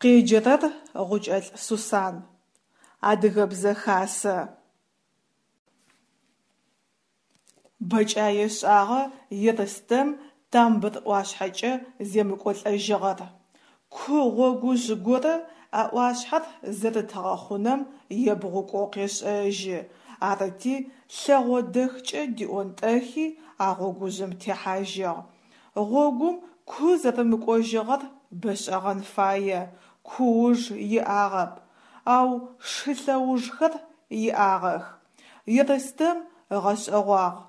Къеджэрэр Гъукӏэлӏ Сусан. Адыгэбзэ хасэ. Бэкӏае шӏагъэ Ерстэм Тамбыр ӏуашъхьэкӏэ земыкӏолӏэжьыгъэр. Ку гъогужъ горэ а ӏуашъхьэр зэрыт гъэхъунэм ебгъукӏоу къешӏэжьы, арыти лъэгъо дэхкӏэ диӏонтӏэхи а гъогужъым техьажьыгъ. Гъогум ку зэрымыкӏожьыгъэр бэшӏэгъэн фае, ку уж иӏагъэп, ау шы лъэужхэр иӏагъэх. Ерстэм ыгъэшӏэгъуагъ,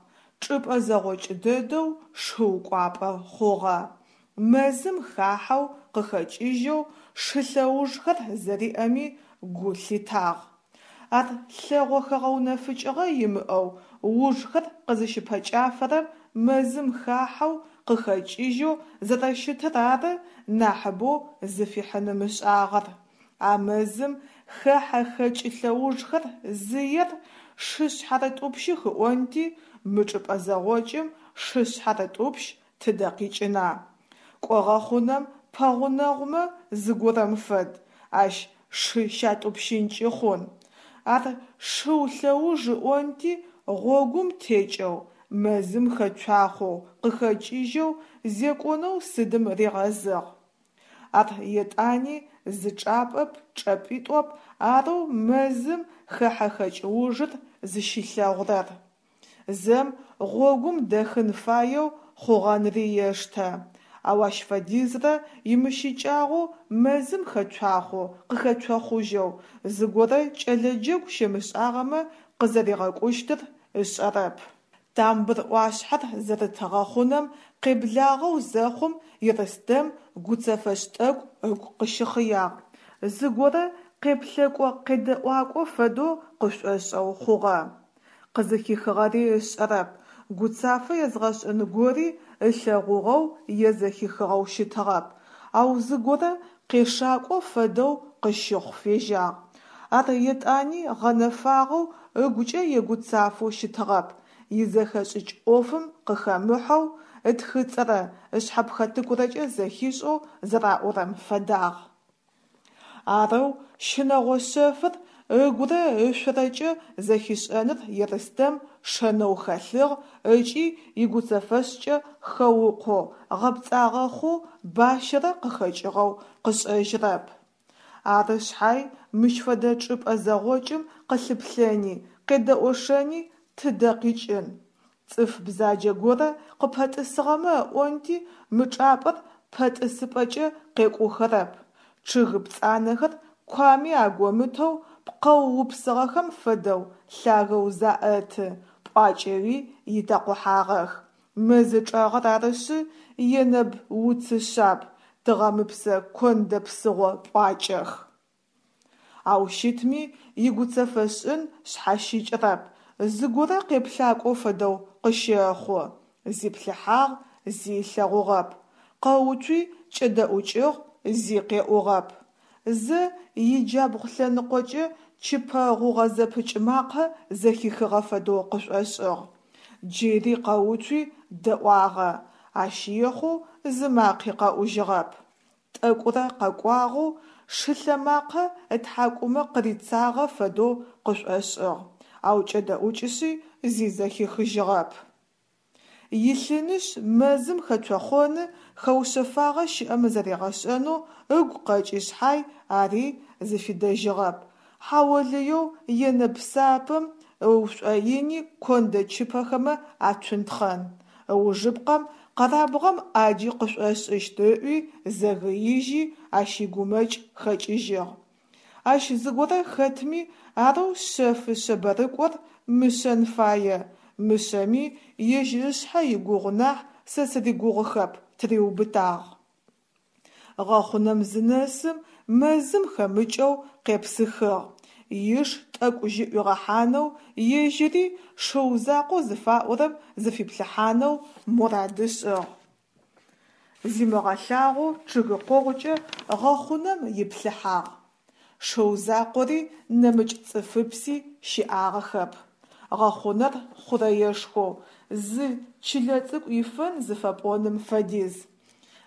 чӏыпӏэ зэгъокӏ дэдэу шыу кӏуапӏэ хъугъэ. Мэзым хахьэу къыхэкӏыжьэу шы лъэужхэр зэриӏэми гу лъитагъ. Ар лъэгъо хэгъэунэфыкӏыгъэ имыӏэу ужхэр къызыщыпэкӏафэрэм мэзым хахьэу къыхэкӏыжьэу зэрэщытыр ары нахьыбэу зыфихьын ымышӏагъэр. А мэзым хэхьэ-хэкӏы лъэужхэр зыер шы шъхьарытӏупщых ыӏонти, мы чӏыпӏэ зэгъокӏым шы шъхьарытӏупщ тыдэ къикӏына? Кӏо гъэхъунэм пэгъунэгъумэ зыгорэм фэд, ащ шы щатӏупщынкӏи хъун. Ар шыу лъэуж ыӏонти, гъогум текӏэу, мэзым хэцуахъоу, къыхэкӏыжьэу зекӏонэу сыдым ригъэзыгъ. Ар етӏани зы чӏапӏэп, чӏэпӏитӏоп арэу мэзым хэхьэ-хэкӏ ужыр зыщилъэгъурэр. Зэм гъогум дэхын фаеу хъугъэнри ештэ, ау ащ фэдизрэ имыщыкӏагъэу мэзым хэцуахъоу, къыхэцохъужьэу, зыгорэ кӏэлэ джэгу щемышӏагъэмэ къызэригъэкӏущтыр ышӏэрэп. Тамбыр ӏуашъхьэр зэрыт гъэхъунэм къеблагъэу зэхъум Ерстэм гуцэфэшӏ тӏэкӏу ыгу къыщыхъыягъ. Зыгорэ къеплъэкӏо-къедэӏуакӏо фэдэу къышӏошӏэу хъугъэ. Къызыхихыгъэри ышӏэрэп, гуцафэ езгъэшӏын гори ылъэгъугъэу е зэхихыгъэу щытыгъэп, ау зыгорэ къешакӏо фэдэу къыщыхъу фежьагъ. Ар етӏани гъэнэфагъэу ыгукӏэ егуцафэу щытыгъэп, изэхэшӏыкӏ ӏофым къыхэмыхьэу, ытхыцӏэрэ ышъхьэпхэтыкурэкӏэ зэхишӏэу зэраӏорэм фэдагъ. Арэу щынэгъо шъэфыр ыгурэ ышъорэкӏэ зэхишӏэныр Ерстэм шэнэу хэлъыгъ ыкӏи игуцэфэшӏкӏэ хэукъоу, гъэпцӏагъэ хъоу бащэрэ къыхэкӏыгъэу къышӏэжьырэп. Ары шъхьай мыщ фэдэ чӏыпӏэ зэгъокӏым къылъыплъэни, къедэӏошэни тыдэ къикӏын. Цӏыф бзаджэ горэ къыпэтӏысыгъэмэ ыӏонти, мы чӏапӏэр пэтӏысыпӏэкӏэ къекӏухэрэп. Чъыг пцӏанэхэр куами агомытэу пкъэу упсыгъэхэм фэдэу лъагэу заӏэты, пӏуакӏэуи итэкъухьагъэх. Мэзы чӏэгъыр арышъы, енэб уцы шъаб, тыгъэмыпсэ кондэ псыгъо пӏуакӏэх. Ау щытми, игуцэфэшӏын шъхьащыкӏырэп, зыгорэ къеплъакӏо фэдэу къыщэхъу. Зиплъыхьагъ, зи ылъэгъугъэп. Къэуцуи кӏэдэӏукӏыгъ, зи къеӏугъэп. Зэ иджабгъу лъэныкъокӏэ чыпэ гъугъэ зэпыкӏ макъэ зэхихыгъэ фэдэу къышӏошӏыгъ. Джыри къэуцуи дэӏуагъэ, ащ ехъоу зы макъи къэӏужьыгъэп. Тӏэкӏурэ къэкӏуагъэу шылъэмакъэ ытхьакӏумэ къырицагъэ фэдэу къышӏошӏыгъ, ау кӏэдэӏукӏышъи зи зэхихыжьыгъэп. Илъынышъ, мэзым хэцохъоны, хэушъэфагъэ щыӏэмэ зэригъэшӏэнэу ыгу къэкӏи шъхьай, ари зыфидэжьыгъэп. Хьаолыеу енэб сапэм ыушӏоини кондэ чыпэхэмэ ацунтхъэн. Ыужыпкъэм къэрабгъэм ӏаджи къышӏошӏыщт ыӏуи, зэгыижьи, ащ игумэкӏ хэкӏыжьыгъ. Ащ зыгорэ хэтми, арэу шъэфы шъэбэрыкӏор мышъэн фае, мышъэми ежь ышъхьэ игугъу нахь сэ сыригугъухэп тыриубытагъ. Гъэхъунэм зынэсым, мэзым хэмыкӏэу къепсыхыгъ. Иш тӏэкӏу жьы ӏуигъэхьанэу, ежьыри шыу закъоу зыфаӏорэм зыфиплъыхьанэу мурад ышӏыгъ. Зимыгъэлъагъоу чъыгы къогъукӏэ гъэхъунэм иплъыхьагъ. Шыу закъори нэмыкӏ цӏыфыпси щыӏагъэхэп. Гъэхъунэр хъурэешхоу, зы чылэ цӏыкӏу ифэн зыфэпӏоным фэдиз.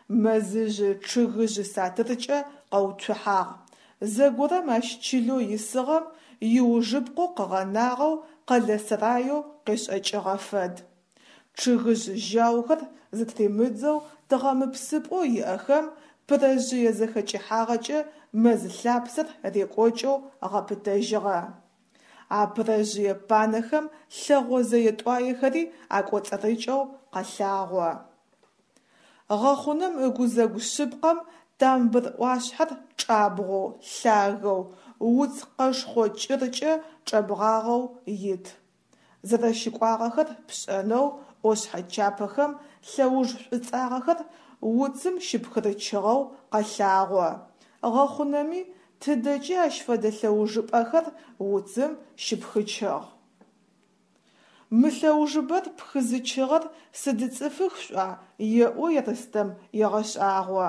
Мэзыжъы чъыгыжъ сатыркӏэ къэуцухьагъ. Зэгорэм ащ чылэу исыгъэм иужыпкъэу къыгъэнагъэу къэлэ сэраеу къешӏэкӏыгъэ фэд. Чъыгыжъ жьаухэр зытыримыдзэу тыгъэмыпсыпӏэу иӏэхэм пырэжъые зэхэкӏыхьагъэкӏэ мэз лъапсэр рекӏокӏэу гъэпытэжьыгъэ. А пырэжъые панэхэм лъэгъо зэе-тӏуаехэри акӏоцӏырыкӏэу къэлъагъо. Гъэхъунэм ыгузэгу шъыпкъэм тамбыр ӏуашъхьэр чӏабгъоу, лъагэу, уц къэшхъо кӏыркӏэ чӏэбгъагъэу ит. Зэрэщыкӏуагъэхэр пшӏэнэу ӏошъхьэ чапэхэм лъэуж шӏуцӏагъэхэр уцым щыпхырычъыгъэу къэлъагъо. Гъэхъунэми тыдэкӏи ащ фэдэ лъэужыпӏэхэр уцым щыпхычъыгъ. Мы лъэужыбэр пхызычыгъэр сыд цӏыфых шъуӏуа, еӏо Ерстэм егъэшӏагъо.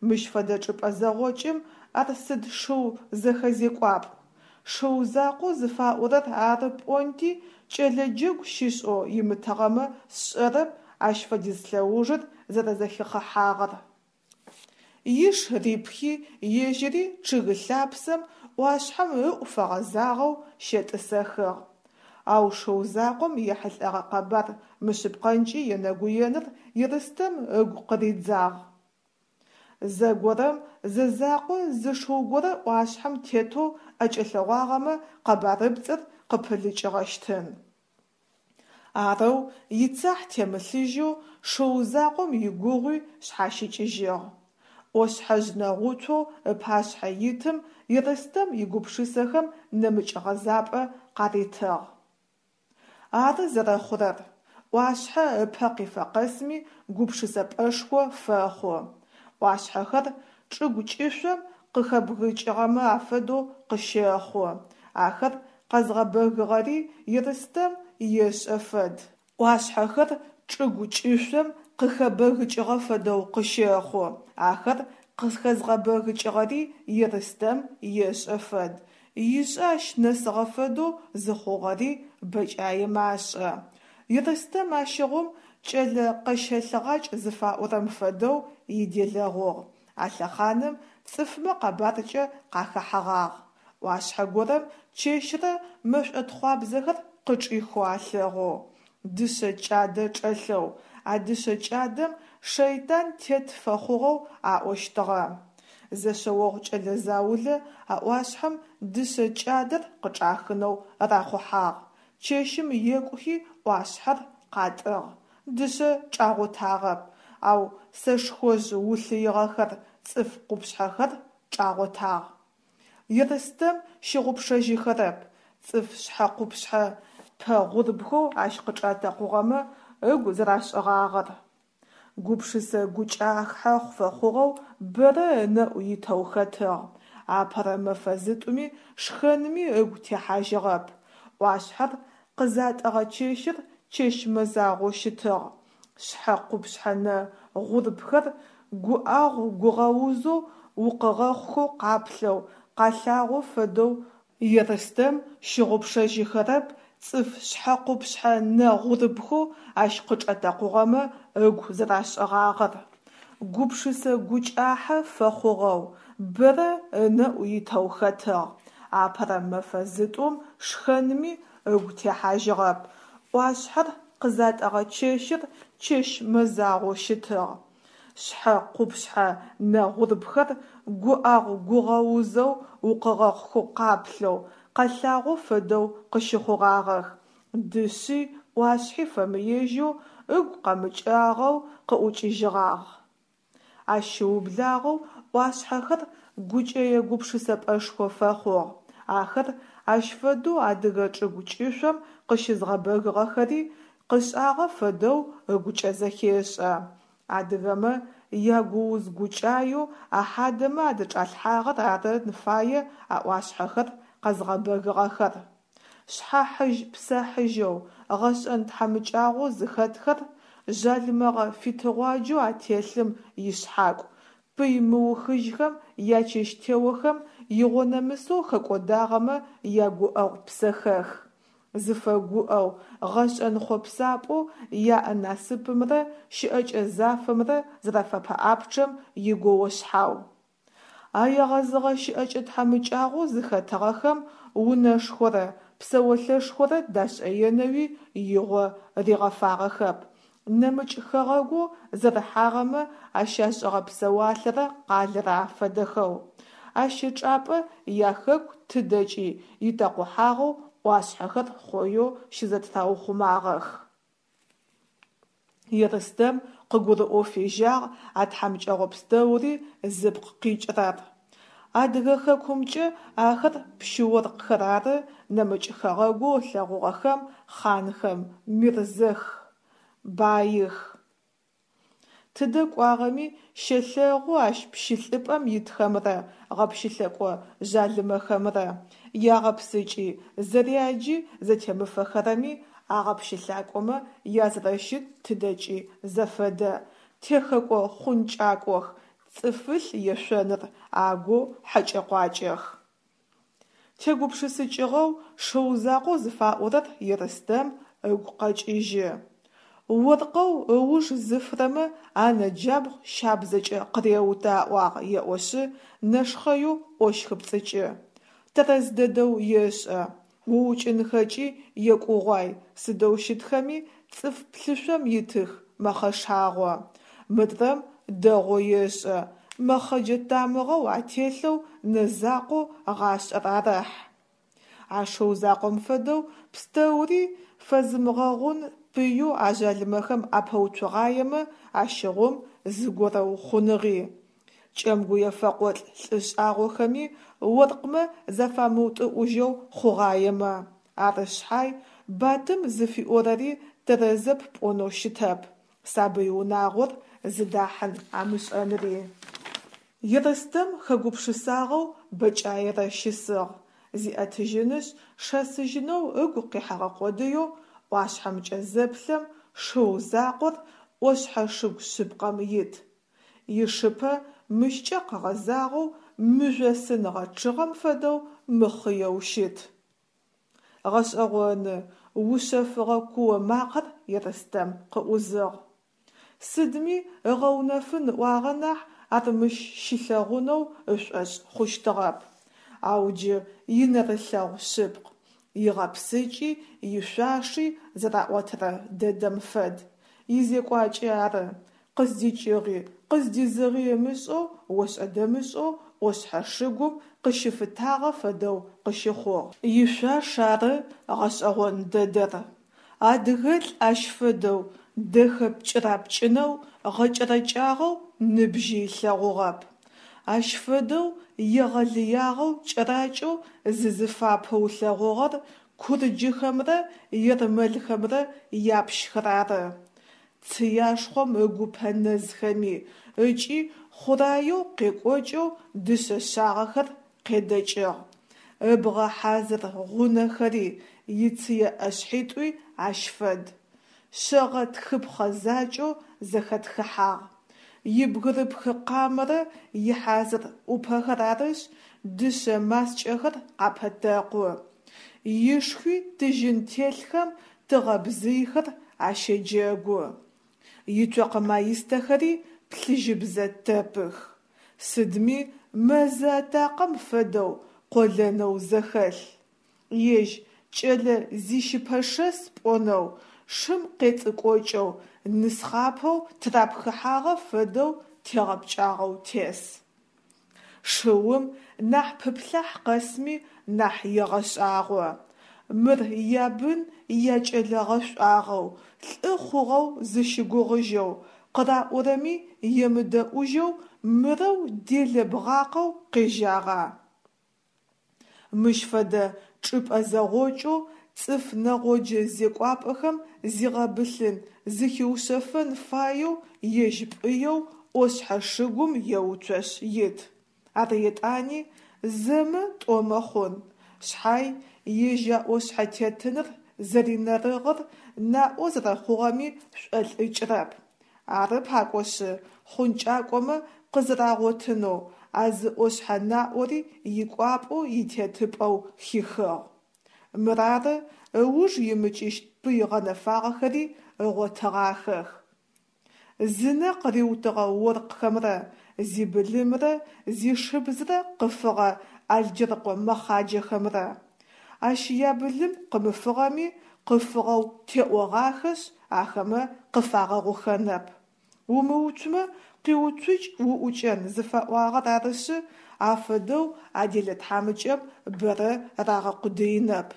Мыщ фэдэ чӏыпӏэ зэгъокӏым ар сыд шыу зэхэзекӏуапӏ. Шыу закъоу зыфаӏорэр ары пӏонти, кӏэлэ джэгу щышӏэу имытыгъэмэ сшӏэрэп ащ фэдиз лъэужыр зэрэзэхихъыхьагъэр. Иш рипхи, ежьыри чъыг лъапсэм ӏуашъхьэм ыӏу фэгъэзагъэу щетӏысэхыгъ. Ау шыу закъом ехьылӏэгъэ къэбар мышъыпкъэнкӏи енэгуеныр Ерстэм ыгу къыридзагъ. Зэгорэм зэзакъо зы шыу горэ ӏуашъхьэм тетэу ӏэкӏэлъэгъуагъэмэ къэбарыпцӏыр къыпылыкӏыгъэщтын. Арэу ицахь темылъыжьэу шыу закъом игугъуи шъхьащыкӏыжьыгъ. ӏошъхьэжъ нэгъуцоу ыпашъхьэ итым Ерстэм игупшысэхэм нэмыкӏ гъэзапӏэ къаритыгъ. Ары зэрэхъурэр, ӏуашъхьэ ыпэ къифэ къэсми гупшысэпӏэшхо фэхъу. ӏуашъхьэхэр чӏыгу кӏышъом къыхэбгыкӏыгъэмэ афэдэу къыщэхъу. Ахэр къэзгъэбэгыгъэри Ерстэм ешӏэ фэд. ӏуашъхьэхэр чӏыгу кӏышъом къыхэбэгыкӏыгъэ фэдэу къыщэхъу. Ахэр къызхэзгъэбэгыкӏыгъэри Ерстэм ешӏэ фэд. Ишӏэ ащ нэсыгъэ фэдэу зыхъугъэри бэкӏаемэ ашӏэ. Ерстэм ащыгъум кӏэлэ къэщэлъыгъакӏ зыфаӏорэм фэдэу иделэгъугъ. А лъэхъаным цӏыфмэ къэбаркӏэ къахэхьэгъагъ. ӏуашъхьэ горэм чэщрэ мэшӏотхъуабзэхэр къычӏихэу алъэгъоу, дышъэ кӏадэ чӏэлъэу, а дышъэ кӏадэм шэйтан тет фэхъугъэу аӏощтыгъэ. Зэшъэогъу кӏэлэ заулэ а ӏуашъхьэм дышъэ кӏадэр къычӏахынэу рахъухьагъ. Чэщым екӏухи ӏуашъхьэр къатӏыгъ. Дышъэ чӏагъотагъэп, ау сэшхожъ улъыигъэхэр, цӏыф къупшъхьэхэр чӏагъотагъ. Ерстэм щыгъупшэжьыхэрэп, цӏыф шъхьэ-къупшъхьэ пэ гъурбхэу ащ къычӏатэкъугъэмэ ыгу зэрашӏыгъагъэр. Гупшысэ гукӏахьэ фэхъугъэу бэрэ ынэӏу итэу хэтыгъ. Апэрэ мэфэ зытӏуми шхэнми ыгу техьажьыгъэп. ӏуашъхьэр къызатӏыгъэ чэщыр чэщ мэзагъоу щытыгъ. Шъхьэ къупшъхьэ нэ гъурбхэр гуӏагъу-гугъэузэу укъыгъэхъухэу къаплъэу, къалъагъо фэдэу Ерстэм щыгъупшэжьыхэрэп цӏыф шъхьэ-къупшъхьэ нэ гъурбхэу ащ къычӏатэкъугъэмэ ыгу зэрашӏыгъагъэр. Гупшысэ гукӏахьэ фэхъугъэу, бэрэ ынэӏу итэу хэтыгъ. Апэрэ мэфэ зытӏум шхэнми ыгу техьажьыгъэп. ӏуашъхьэр къызатӏыгъэ чэщыр чэщ мэзагъоу щытыгъ. Шъхьэ къупшъхьэ нэ гъурбхэр гуӏагъу-гугъэузэу укъыгъэхъухэу къаплъэу, къэлъагъо фэдэу къыщыхъугъагъэх. Дышъи ӏуашъхьи фэмыежьэу, ыгу къэмыкӏагъэу къыӏукӏыжьыгъагъ. Ащ щыублагъэу ӏуашъхьэхэр гукӏэе гупшысэпӏэшхо фэхъугъ. Ахэр ащ фэдэу адыгэ чӏыгу кӏышъом къыщызгъэбэгыгъэхэри къышӏагъэ фэдэу ыгукӏэ зэхешӏэ. Адыгэмэ ягууз-гукӏаеу а хьадэмэ адычӏалъхьагъэр арын фае а ӏуашъхьэхэр къэзгъэбэгыгъэхэр. Шъхьэхьыжь-псэхьыжьэу, гъэшӏэн тхьамыкӏагъоу зыхэтхэр, жъалымэгъэ фитыгъуаджэу ателъым ишъхьакӏу, пый мыухыжьхэм ячэщтеохэм игъонэмысэу хэкӏодагъэмэ ягуӏэгъу псэхэх. Зыфэгуӏэу, гъэшӏэн хъопсапӏэу яӏэ насыпымрэ щыӏэкӏэ зафэмрэ зэрафэпэӏапчъэм игоошъхьау. А егъэзыгъэ щыӏэкӏэ тхьамыкӏагъоу зыхэтыгъэхэм унэшхорэ псэолъэшхорэ дашӏэенэуи игъо ригъэфагъэхэп, нэмыкӏ хэгъэгоу зэрыхьагъэмэ ащашӏыгъэ псэуалъэрэ къалэрэ афэдэхэу. Ащ ычӏапӏэ яхэку тыдэкӏи итэкъухьагъэу ӏуашъхьэхэр хъоеу щызэтыраухъумагъэх. Ерстэм къыгурыӏоу фежьагъ а тхьамыкӏэгъо пстэури зыпкъ къикӏырэр. Адыгэ хэкумкӏэ ахэр пщы-оркъхэр ары, нэмыкӏ хэгъэгоу ылъэгъугъэхэм хъанхэм, мирзэх, баих. Тыдэ кӏуагъэми щэлъэгъу ащ пщылӏыпӏэм итхэмрэ гъэпщылӏэкӏо жъалымэхэмрэ ягъэпсыкӏи, зэряджи зэтемыфэхэрэми а гъэпщылӏакӏомэ язэрэщыт тыдэкӏи зэфэдэ, техэкӏо-хъункӏакӏох, цӏыфылъ ешъоныр агоу хьэкӏэ-къуакӏэх. Тегупшысыкӏыгъэу шыу закъоу зыфаӏорэр Ерстэм ыгу къэкӏыжьы. Оркъэу ыуж зыфырэмэ анэ джабгъу щабзэкӏэ къыреутэ аӏуагъ еӏошъы, нэшхъэеу ӏощхыпцӏыкӏы. Тэрэз дэдэу ешӏэ. Уукӏынхэкӏи екӏугъуай, сыдэу щытхэми цӏыф плъышъом итых, мэхъэшагъо. Мыдрэм дэгъоу ешӏэ, мэхъэджэ тамыгъэу ателъэу нэ закъоу гъашӏэр арэхь. А шыу закъом фэдэу пстэури фэзымыгъэгъун пыеу а жъалымэхэм апэуцугъаемэ, ащыгъум зыгорэу хъуныгъи. Кӏэмгуе фэкъолӏ лӏы шӏагъохэми оркъмэ зафамыутӏыӏужьэу хъугъаемэ. Ары шъхьай, Батым зыфиӏорэри тэрэзэп пӏонэу щытэп, сабый унагъор зыдахьын амышӏэнри. Ерстэм хэгупшысагъэу бэкӏаерэ щысыгъ. Зиӏэтыжьынышъ, шэсыжьынэу ыгу къихьэгъэ къодыеу ӏуашъхьэмкӏэ зэплъэм, шыу закъор ӏошъхьэ шыгу шъыпкъэм ит. Ишыпэ мыщкӏэ къэгъэзагъэу мыжъосын гъэчъыгъэм фэдэу мыхъыеу щыт. Гъэшӏэгъоны, ушъэфыгъэ куо макъэр Ерстэм къыӏузыгъ. Сыдми ыгъэунэфын ыӏуагъэ нахь ар мыщ щилъэгъунэу ышӏошъ хъущтыгъэп. Ау джы инэрылъэгъу шъыпкъ, игъэпсыкӏи ишъуаши зэраӏотэрэ дэдэм фэд. Изекӏуакӏи ары. Къыздикӏыгъи, къыздизыгъи ымышӏэу ошӏэ-дэмышӏэу ӏошъхьэ шыгум къыщыфытагъэ фэдэу къыщыхъугъ. Ишъуаш ары гъэшӏэгъон дэдэр. Адыгэлӏ ащ фэдэу дэхэ пкӏырапкӏынэу гъэкӏэрэкӏагъэу ныбжьи ылъэгъугъэп. Ащ фэдэу егъэлыягъэу кӏэракӏэу зызыфапэу ылъэгъугъэр курджыхэмрэ ермэлхэмрэ япщхэр ары. Цыяшхъом ыгупэ нэзхэми ыкӏи хъураеу къекӏокӏэу дышъэ шъагъэхэр къедэкӏыгъ. Ыбгъэ хьазыр гъунэхэри, ицые ӏэшъхьитӏуи ащ фэд. Шъэгъэ тхыпхъэ закӏэу зэхэтхыхьагъ. Ибгырыпхы къамэрэ ихьазыр ӏупэхэр арышъ, дышъэ маскӏэхэр къапэтэкъу. Ишхуи тыжьын телъхэм тыгъэ бзыйхэр ащэджэгу. Ицокъэ маистэхэри плъыжьыбзэ тэпых. Сыдми мэзы атакъэм фэдэу къолэнэу зэхэлъ. Ежь кӏэлэ зищыпэшэс пӏонэу, шым къецӏыкӏокӏэу, нысхъапэу тырапхыхьагъэ фэдэу тегъэпкӏагъэу тес. Шыум нахь пыплъахь къэсми нахь егъэшӏагъо. Мыр ябын якӏэлэ гъэшӏуагъэу, лӏы хъугъэу зыщыгугъыжьэу, къыраӏорэми емыдэӏужьэу мырэу делэ бгъакъэу къежьагъа? Мыщ фэдэ чӏыпӏэ зэгъокӏэу цӏыф нэгъоджэ зекӏуапӏэхэм зигъэбылъын, зыхиушъэфэн фаеу ежь пӏыеу ӏошъхьэ шыгум еуцошъ ит. Ар етӏани зэмэ тӏомэ хъун, шъхьай, ежь а ӏошъхьэ тетыныр зэринэрыгъыр наӏо зэрэхъугъэми шӏолӏыкӏрэп. Ары пакӏошъы, хъункӏакӏомэ къызэрагъотынэу а зы ӏошъхьэ наӏори икӏуапӏэу итетыпӏэу хихыгъ. Мырары ыуж имыкӏыщт пый гъэнэфагъэхэри ыгъотыгъахэх. Зынэ къыриутыгъэ оркъхэмрэ зибылымрэ зишыбзрэ къыфыгъэ Алджэрыкъо мэхъаджэхэмрэ. Ащ ябылым къымыфыгъэми, къыфыгъэу теӏогъахэшъ, ахэмэ къыфагъэгъухэнэп. Умыуцумэ, къиуцукӏ уӏукӏэн зыфаӏуагъэр арышъы, афэдэу а делэ тхьамыкӏэм бэрэ рагъэкъудыинэп.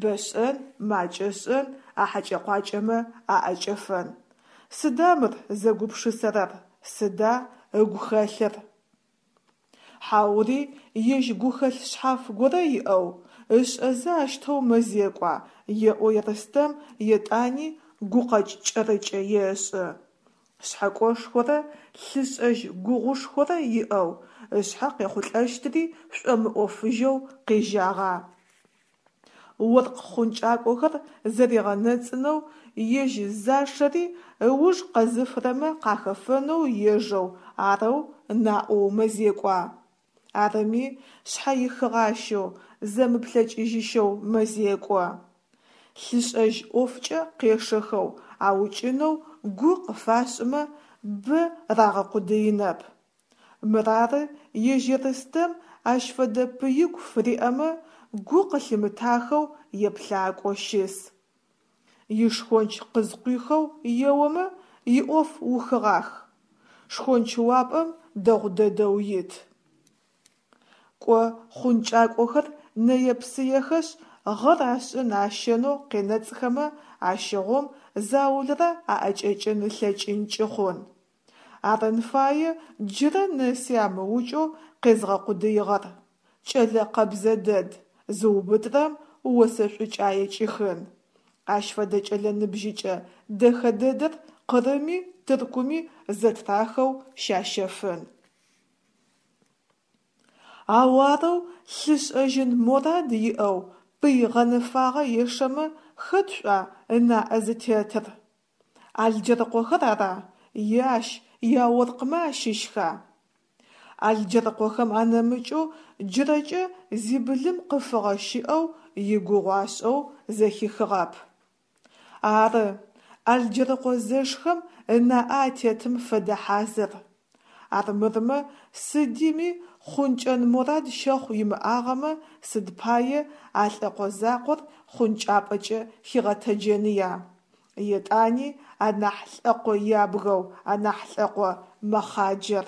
Бэ шӏэн, макӏэ шӏэн, а хьэкӏэ-къуакӏэмэ аӏэкӏэфэн. Сыда мыр зэгупшысэрэр, сыда ыгу хэлъыр? Хьаури ежь гухэлъ шъхьаф горэ иӏэу, ышӏэзэ ащтэу мэзекӏуа, еӏо Ерстэм, етӏани гукъэкӏ кӏэрыкӏэ ешӏы. Шъхьэкӏошхорэ лъышӏэжь гугъушхорэ иӏэу, ышъхьэ къехъулӏэщтри шӏомыӏофыжьэу къежьагъа? Оркъ хъункӏакӏохэр зэригъэнэцӏынэу ежь зашэри ыуж къэзыфырэмэ къахэфэнэу ежэу арэу наӏоу мэзекӏуа? Арыми, шъхьэихыгъащэу, зэмыплъэкӏыжьыщэу мэзекӏо. Лъышӏэжь ӏофкӏэ къешэхэу аукӏынэу гу къыфашӏымэ, бэ рагъэкъудыинэп. Мырары ежь Ерстэм ащ фэдэ пыигу фыриӏэмэ, гу къылъимытахэу еплъакӏо щыс. Ишхонч къызкъуихэу еомэ, иӏоф ухыгъах. Шхончыуапӏэм дэгъу дэдэу ит. Кӏо, хъункӏакӏохэр нэе-псыехэшъ, гъэр ашӏын ащэнэу къенэцӏхэмэ, ащыгъум заулэрэ аӏэкӏэкӏын ылъэкӏынкӏи хъун. Арын фае джырэ нэси амыукӏэу къезгъэкъудыигъэр. Кӏэлэ къэбзэ дэд, зыубытрэм осэ шӏукӏае кӏихын. Ащ фэдэ кӏэлэ ныбжьыкӏэ дэхэ дэдэр Къырыми Тыркуми зэтрахэу щащэфын. Ау арэу лъышӏэжьын морад иӏэу пый гъэнэфагъэ ешэмэ хэт шъуа ынаӏэ зытетыр? Алджэрыкъохэр ара е ащ яоркъмэ ащыщха? Алджэрыкъохэм анэмыкӏэу джырэкӏэ зибылым къыфыгъэ щыӏэу игугъу ашӏэу зэхихыгъэп. Ары, Алджэрыкъо зэшхэм ынаӏэ атетым фэдэ хьазыр. Армырмэ, сыдими хъункӏэн морад щэхъу имыӏагъэмэ, сыд пае а лӏэкъо закъор хъункӏапӏэкӏэ хигъэтэджэныя? Етӏани анахь лӏэкъо ябгэу, анахь лӏэкъо мэхъаджэр.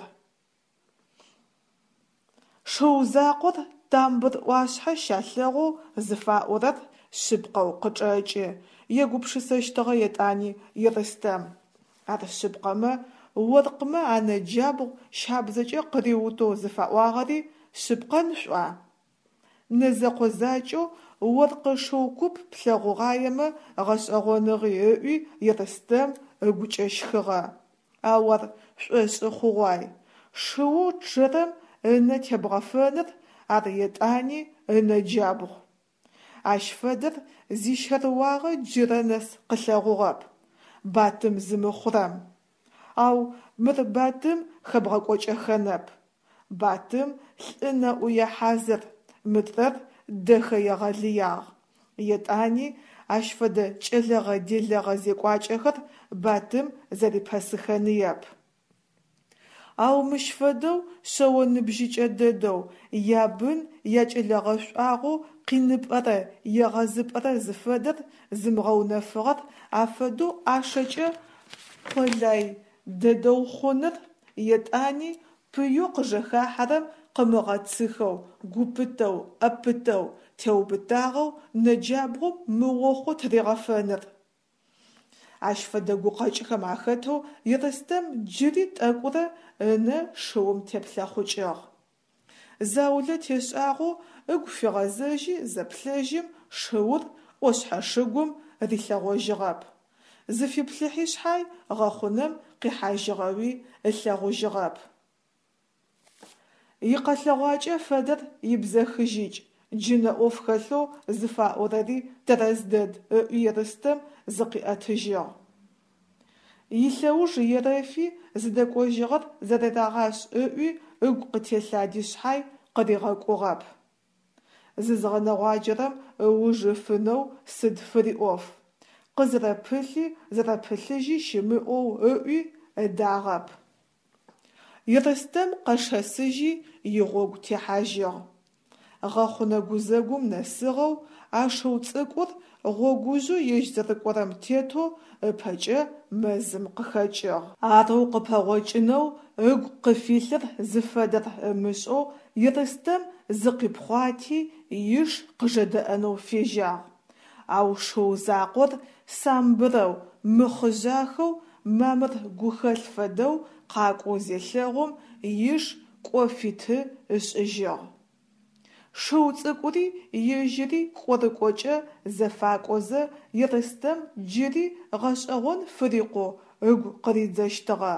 Шыу закъор тамбыр ӏуашъхьэ щалъэгъоу зыфаӏорэр шъыпкъэу къычӏэкӏы, егупшысэщтыгъэ етӏани Ерстэм. Ар шъыпкъэмэ, оркъмэ анэ джабгъу щабзэкӏэ къыриутэу зыфаӏуагъэри шъыпкъэн шъуӏуа? Нэзэкъо закӏэу оркъы шыу куп плъэгъугъаемэ гъэшӏэгъоныгъи ыӏуи Ерстэм ыгукӏэ щхыгъэ. Ау ар шӏошӏы хъугъуай. Шыоу чъэрэм ынэ тебгъэфэныр, ар етӏани ынэ джабгъу. Ащ фэдэр зищэрыуагъэ джырэ нэс къылъэгъугъэп, Батым зымыхъурэм. Ау мыр Батым хэбгъэкӏокӏэхэнэп. Батым лӏы нэӏуе хьазыр, мыдрэр дэхэ егъэлыягъ. Етӏани ащ фэдэ кӏэлэгъэ-делэгъэ зекӏуакӏэхэр Батым зэрипэсыхэныеп. Ау мыщ фэдэу шъэо ныбжьыкӏэ дэдэу, ябын якӏэлэ гъэшӏуагъэу къиныпӏэрэ егъэзыпӏэрэ зыфэдэр зымыгъэунэфыгъэр афэдэу ӏашэкӏэ къолай дэдэу хъуныр, етӏани пыеу къыжэхахьэрэм къымыгъэцыхэу, гу пытэу, ӏэ пытэу, теубытагъэу нэджабгъум мыохъу тыригъэфэныр. Ащ фэдэ гукъэкӏхэм ахэтэу Ерстэм джыри тӏэкӏурэ ынэ шыум теплъэхъукӏыгъ. Заулэ тешӏагъэу ыгу фигъэзэжьи зэплъэжьым шыур ӏошъхьэ шыгум рилъэгъожьыгъэп. Зыфиплъыхьи шъхьай гъэхъунэм къихьажьыгъэуи ылъэгъужьыгъэп. Икъэлъэгъуакӏэ фэдэр ибзэхыжьыкӏ, джынэ ӏоф хэлъэу зыфаӏорэри тэрэз дэд, ыӏуи Ерстэм зыкъиӏэтыжьыгъ. Илъэуж ерэфи, зыдэкӏожьыгъэр зэрерагъашӏ ыӏуи ыгу къытелъади шъхьай, къыригъэкӏугъэп. Зызгъэнэгъуаджэрэм ыуж ыфынэу сыд фыриӏоф? Къызэрэпылъи зэрэпылъыжьи щымыӏэу ыӏуи, ыдагъэп. Ерстэм къэшэсыжьи, игъогу техьажьыгъ. Гъэхъунэ гузэгум нэсыгъэу, а шыу цӏыкӏур гъогужъэу ежь зэрыкӏорэм тетэу ыпэкӏэ мэзым къыхэкӏыгъ. Арэу къыпэгъокӏынэу ыгу къыфилъыр зыфэдэр ымышӏэу Ерстэм зыкъипхъуати, иш къыжэдэӏэнэу фежьагъ. Ау шыу закъор самбырэу, мыхъыжъахэу, мамыр гухэлъ фэдэу къакӏоу зелъэгъум, иш кӏо фиты ышӏыжьыгъ. Шыу цӏыкӏури ежьыри кӏорыкӏокӏэ зэфакӏозэ Ерстэм джыри гъэшӏэгъон фырикъоу ыгу къыридзэщтыгъэ.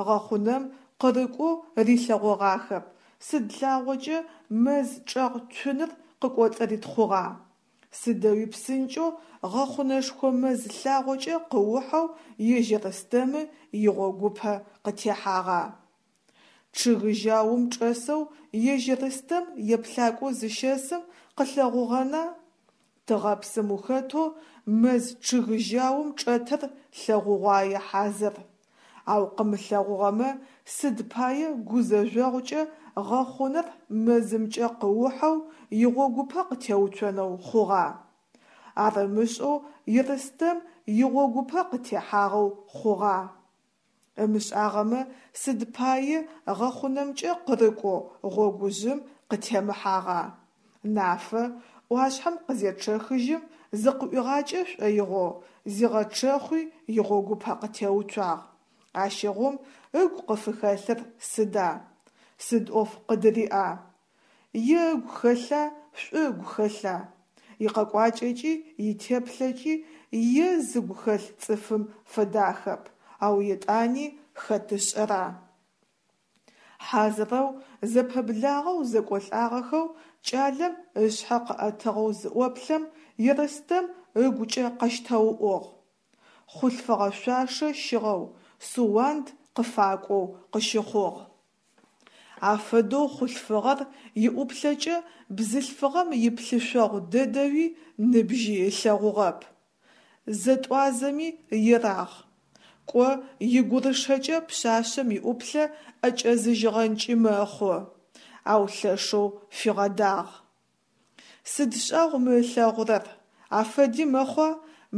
Гъэхъунэм къырыкӏоу рилъэгъогъахэп, сыд лъагъокӏэ мэз чӏэгъ цуныр къыкӏоцӏыритхъугъа? Сыдэуи псынкӏэу гъэхъунэшхо мэз лъагъокӏэ къыухьэу ежь Ерстэмы игъогупэ къытехьагъа? Чъыг жьаум чӏэсэу ежь Ерстэм еплъакӏоу зыщэсым къылъэгъугъэна? Тыгъэпсым ухэтэу мэз чъыг жьаум чӏэтыр лъэгъугъуае хьазыр. Ау къымылъэгъугъэмэ, сыд пае гузэжъогъукӏэ гъэхъунэр мэзымкӏэ къыухьэу игъогупэ къытеуцонэу хъугъа? Ар ымышӏэу Ерстэм игъогупэ къытехьагъэу хъугъа? Ымышӏагъэмэ, сыд пае гъэхъунэмкӏэ къырыкӏоу гъогужъым къытемыхьагъа? Нафэ, ӏуашъхьэм къызечъэхыжьым зыкъыӏуигъакӏэ шӏоигъоу, зигъэчъэхъуи игъогупэ къытеуцуагъ. Ащыгъум ыгу къыфыхэлъыр сыда? Сыд ӏоф къыдыриӏа? Е ыгу хэлъа, шӏу ыгу хэлъа? Икъэкӏуакӏэкӏи итеплъэкӏи е зыгу хэлъ цӏыфым фэдахэп, ау етӏани хэт ышӏэра? Хьазырэу, зэпэблагъэу зэкӏолӏагъэхэу кӏалэм ышъхьэ къыӏэтыгъэу зыӏоплъэм, Ерстэм ыгукӏэ къэщтэуӏугъ. Хъулъфыгъэ шъуашэ щыгъэу, Суанд къыфакӏоу къыщыхъугъ. Афэдэу хъулъфыгъэр иӏуплъэкӏэ бзылъфыгъэм иплъышъогъу дэдэуи ныбжьи ылъэгъугъэп. Зэтӏуазэми ерагъ. Кӏо, игурышэкӏэ пшъашъэм иӏуплъэ ӏэкӏэзыжьыгъэнкӏи мэхъу, ау лъэшэу фигъэдагъ. Сыд шӏагъу мы ылъэгъурэр, афэди мэхъуа,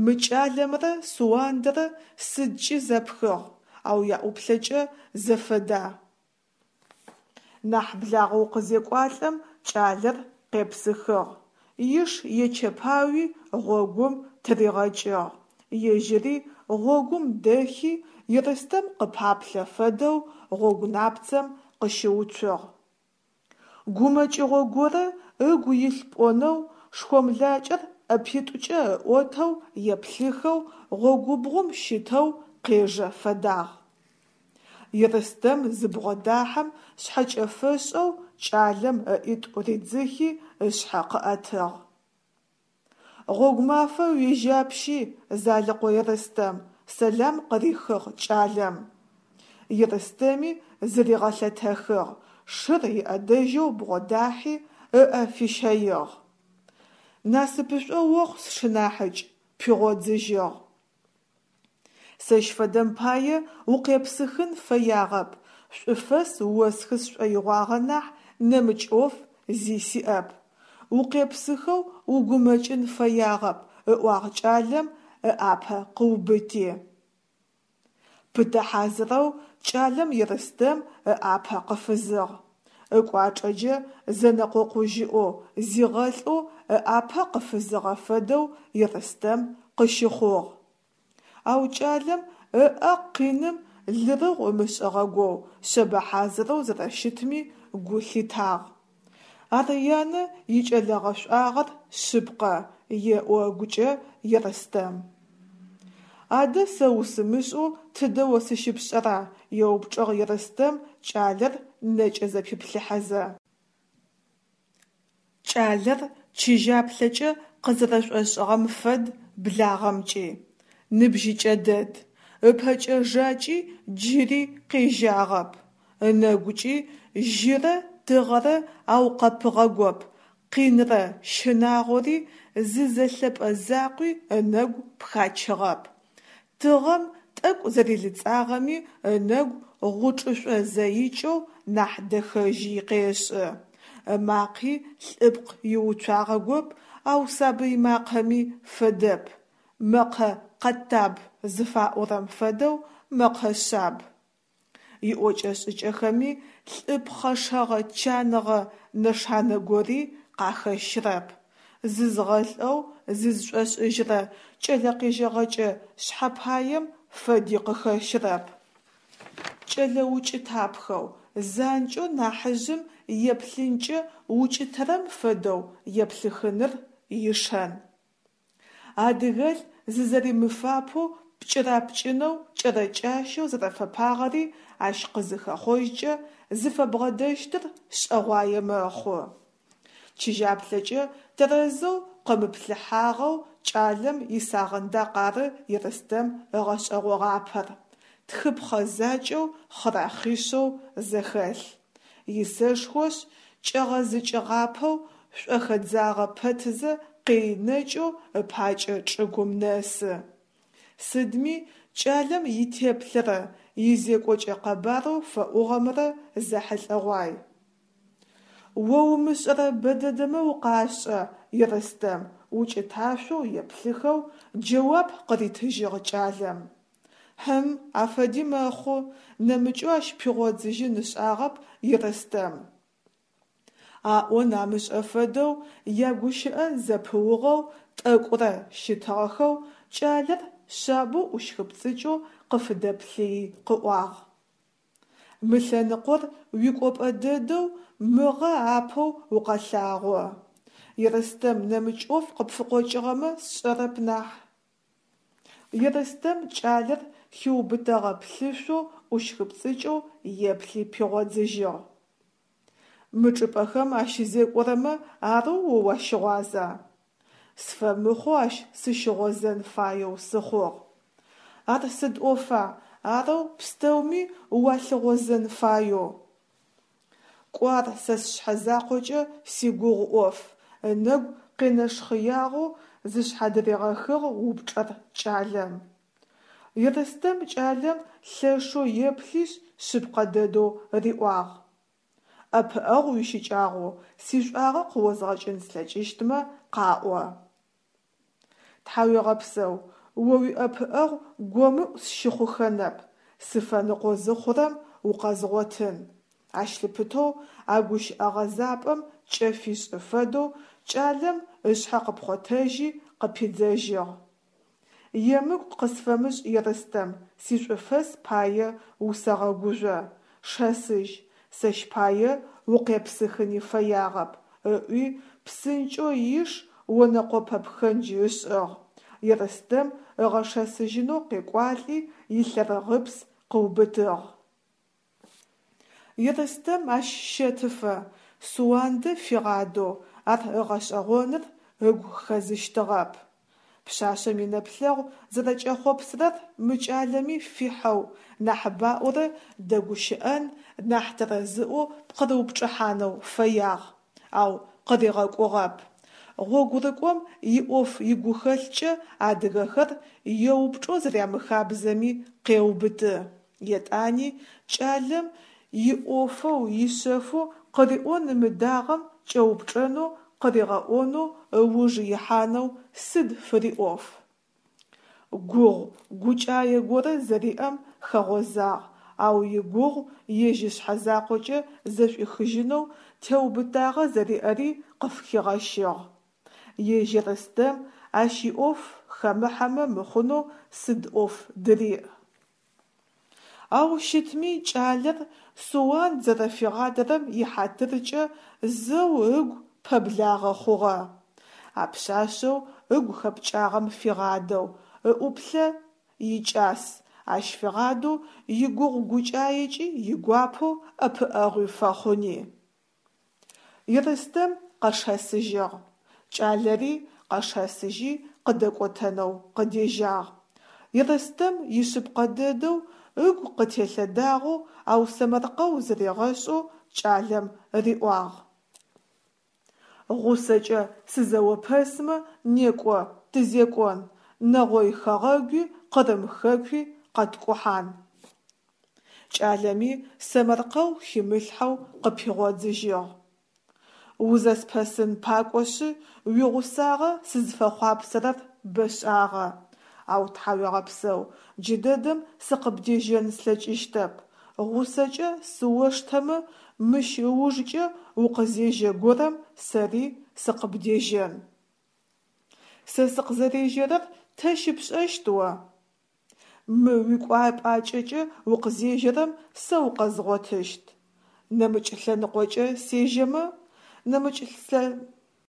мы кӏалэмрэ Суандэрэ сыдкӏи зэпхыгъ, ау яӏуплъэкӏэ зэфэда? Нахь благъэу къызекӏуалӏэм кӏалэр къепсыхыгъ, иш ечэпауи гъогум тыригъэкӏыгъ, ежьыри гъогум дэхи Ерстэм къыпаплъэ фэдэу гъогу напцэм къыщыуцугъ. Гумэкӏыгъо горэ ыгу илъ пӏонэу, шхомлакӏэр ӏэпитӏукӏэ ыӏотэу еплъыхэу гъогубгъум щытэу къежэ фэдагъ. Ерстэм зыбгъодахьэм шъхьэкӏэфэшӏэу кӏалэм ыӏитӏу ридзыхи ышъхьэ къыӏэтыгъ. Гъогумафэ уежьапщи, Залыкъо Ерстэм, сэлам къырихыгъ кӏалэм. Ерстэми зыригъэлъэтэхыгъ, шыр иӏэдэжьэу бгъодахьи, ыӏэ фищэигъ. Насыпышӏо охъу, сшынахьыкӏ, пигъодзыжьыгъ. Сэщ фэдэм пае укъепсыхын фэягъэп, шӏуфэс осхы сшӏоигъуагъэ нахь нэмыкӏ ӏоф зи сиӏэп. Укъепсыхэу угумэкӏын фэягъэп, ыӏуагъ кӏалэм ыӏапэ къыубыти. Пытэ хьазырэу кӏалэм Ерстэм ыӏапэ къыфызыгъ. Ыкӏуачӏэкӏэ зэнэкъокъужьыӏоу, зигъэлӏэу ыӏапэ къыфызыгъэ фэдэу Ерстэм къыщыхъугъ. Ау кӏалэм ыӏэ къиным лырыгъу ымышӏыгъэгоу, шъэбэ хьазырэу зэрэщытми гу лъитагъ. Ар янэ икӏэлэ гъэшӏуагъэр шъыпкъэ, еӏо ыгукӏэ Ерстэм. Адэ сэ усымышӏэу тыдэ о сыщыпшӏэра? еупчӏыгъ Ерстэм кӏалэр нэкӏэ зэпиплъыхьэзэ. Кӏалэр чыжьаплъэкӏэ къызэрэшӏошӏыгъэм фэд благъэмкӏи. Ныбжьыкӏэ дэд, ыпэкӏэ-жакӏи джыри къежьагъэп, ынэгукӏи жьырэ тыгъэрэ аукъэпыгъэгоп. Къинрэ щынагъори зы зэлъэпӏэ закъуи ынэгу пхачыгъэп. Тыгъэм тӏэкӏу зэрилыцӏагъэми ынэгу гъучӏышӏо зэикӏэу нахь дэхэжьи къешӏы. Ымакъи лӏыпкъ иуцуагъэгоп, ау сабый макъэми фэдэп, мэкъэ къэтаб зыфаӏорэм фэдэу мэкъэ шъаб. Иӏокӏэ-шӏыкӏэхэми лӏы пхъэшэгъэ чаныгъэ нэшанэ гори къахэщрэп, зызгъэлӏэу зызшӏошӏыжьрэ кӏэлэ къежьэгъэкӏэ шъхьэпаем фэди къыхэщрэп. Кӏэлэ укӏытапхэу, занкӏэу нахьыжъым еплъынкӏэ укӏытэрэм фэдэу еплъыхыныр ишэн. Адыгэлӏ зызэримыфапэу пкӏырапкӏынэу кӏэрэкӏащэу зэрэфэпагъэри ащ къызыхэхъожькӏэ, зыфэбгъэдэщтыр шӏэгъуае мэхъу. Чыжьаплъэкӏэ тэрэзэу къымыплъыхьагъэу кӏалэм исагъындакъ ары Ерстэм ыгъэшӏэгъогъапэр: тхыпхъэ закӏэу хъырахъишъэу зэхэлъ. Исэшхошъ, кӏэгъэзыкӏыгъапэу шӏухэдзагъэ пэтызэ къеинэкӏэу ыпакӏэ чӏыгум нэсы. Сыдми кӏалэм итеплъэрэ изекӏокӏэ къэбарэу фэӏугъэмрэ зэхьылӏэгъуай. О умышӏэрэ бэдэдэмэ укъашӏэ, Ерстэм, укӏыташъоу еплъыхэу джэуап къыритыжьыгъ кӏалэм. Хьым, афэди мэхъу, нэмыкӏэу ащ пигъодзыжьын ышӏагъэп Ерстэм. Аӏон амышӏэ фэдэу ягущыӏэ зэпыугъэу тӏэкӏурэ щытыгъэхэу кӏалэр шъабэу ӏущхыпцӏыкӏэу къыфыдэплъыий къыӏуагъ. Мы лъэныкъор уикӏопӏэ дэдэу мыгъэ апэу укъэлъагъо. Ерстэм нэмыкӏ ӏоф къыпфыкъокӏыгъэмэ сшӏэрэп нахь. Ерстэм кӏалэр хиубытэгъэ плъышъоу ӏущхыпцӏыкӏэу еплъи пигъодзыжьыгъ. Мы чӏыпӏэхэм ащызекӏорэмэ арэу о уащыгъуаза? Сфэмыхъоу ащ сыщыгъозэн фаеу сыхъугъ. Ар сыд ӏофа, арэу пстэуми уалъыгъозэн фаеу? Кӏо ар сэ сшъхьэ закъокӏэ сигугъу ӏоф, ынэгу къенэшхъэягъэу зышъхьадыригъэхыгъ упчӏэр кӏалэм. Ерстэм кӏалэм лъэшэу еплъишъ шъыпкъэ дэдэу риӏуагъ. Ӏэпыӏэгъу уищыкӏагъэу сишӏуагъэ къыозгъэкӏын слъэкӏыщтмэ къаӏо. Тхьауегъэпсэу, о уиӏэпыӏэгъу гомыӏу сщыхъухэнэп, сыфэныкъо зыхъурэм укъэзгъотын. Ащ лъыпытэу а гущыӏэ гъэзапӏэм кӏэ фишӏы фэдэу кӏалэм ышъхьэ къыпхъотэжьи къыпидзэжьыгъ. Емыкӏу къысфэмышӏ, Ерстэм, сишӏуфэс пае усэгъэгужъо, шэсыжь, сэщ пае укъепсыхыни фэягъэп, ыӏуи псынкӏэу иш онэкъопэ пхэндж ышӏыгъ, Ерстэм ыгъэшэсыжьынэу къекӏуалӏи илъэрыгъыпс къыубытыгъ. Ерстэм ащ щэтыфэ, Суандэ фигъадэу, ар ыгъэшӏэгъоныр ыгу хэзыщтыгъэп. Пшъашъэм инэплъэгъу зэрэкӏэхъопсырэр мы кӏалэми фихьэу, нахьыбаӏорэ дэгущыӏэн, нахь тэрэзыӏоу пкъырыупчӏыхьанэу фэягъ, ау къыригъэкӏугъэп. Гъогурыкӏом иӏоф игухэлъкӏэ адыгэхэр еупчӏэу зэрямыхабзэми къеубыты. Етӏани кӏалэм иӏофэу ишъэфэу къыриӏон ымыдагъэм кӏэупчӏэнэу къыригъэӏонэу ыуж ихьанэу сыд фыриӏоф? Гугъу гукӏае горэ зэриӏэм хэгъозагъ, ау игугъу ежь ышъхьэ закъокӏэ зэшӏуихыжьынэу теубытагъэ зэриӏэри къыфхигъэщыгъ. Ежь Ерстэм ащ иӏоф хэмыхьэмэ мыхъунэу сыд ӏоф дыриӏ? Ау щытми кӏалэр Суанд зэрэфигъадэрэм ихьатыркӏэ зэу ыгу пэблагъэ хъугъэ. А пшъашъэу ыгу хэпкӏагъэм фигъадэу, ыӏуплъэ икӏас, ащ фигъадэу игугъу гукӏаекӏи игуапэу ӏэпыӏэгъуи фэхъуни. Ерстэм къэшэсыжьыгъ. Кӏалэри къэшэсыжьи къыдэкӏотэнэу къыдежьагъ. Ерстэм ишъыпкъэ дэдэу ыгу къытелъэдагъэу, ау сэмэркъэу зыригъэшӏэу кӏалэм риӏуагъ. Гъусэкӏэ сызэопэсмэ, некӏо, тызекӏон, Нэгъой хэгъэгуи Къырым хэкуи къэткӏухьан. Кӏалэми сэмэркъэу химылъхьэу къыпигъодзыжьыгъ. Узэспэсын пакӏошъы, уигъусагъэ сызфэхъуапсэрэр бэшӏагъэ, ау, тхьауегъэпсэу, джыдэдэм сыкъыбдежьэн слъэкӏыщтэп, гъусэкӏэ сыоштэмэ, мыщ ыужкӏэ укъызежьэ горэм сэри сыкъыбдежьэн. Сэ сыкъызэрежьэрэр тэ щыпшӏэщт о? Мы уикӏуапӏакӏэкӏэ укъызежьэрэм сэ укъэзгъотыщт. Нэмыкӏ лъэныкъокӏэ сежьэмэ? Нэмыкӏ лъэ...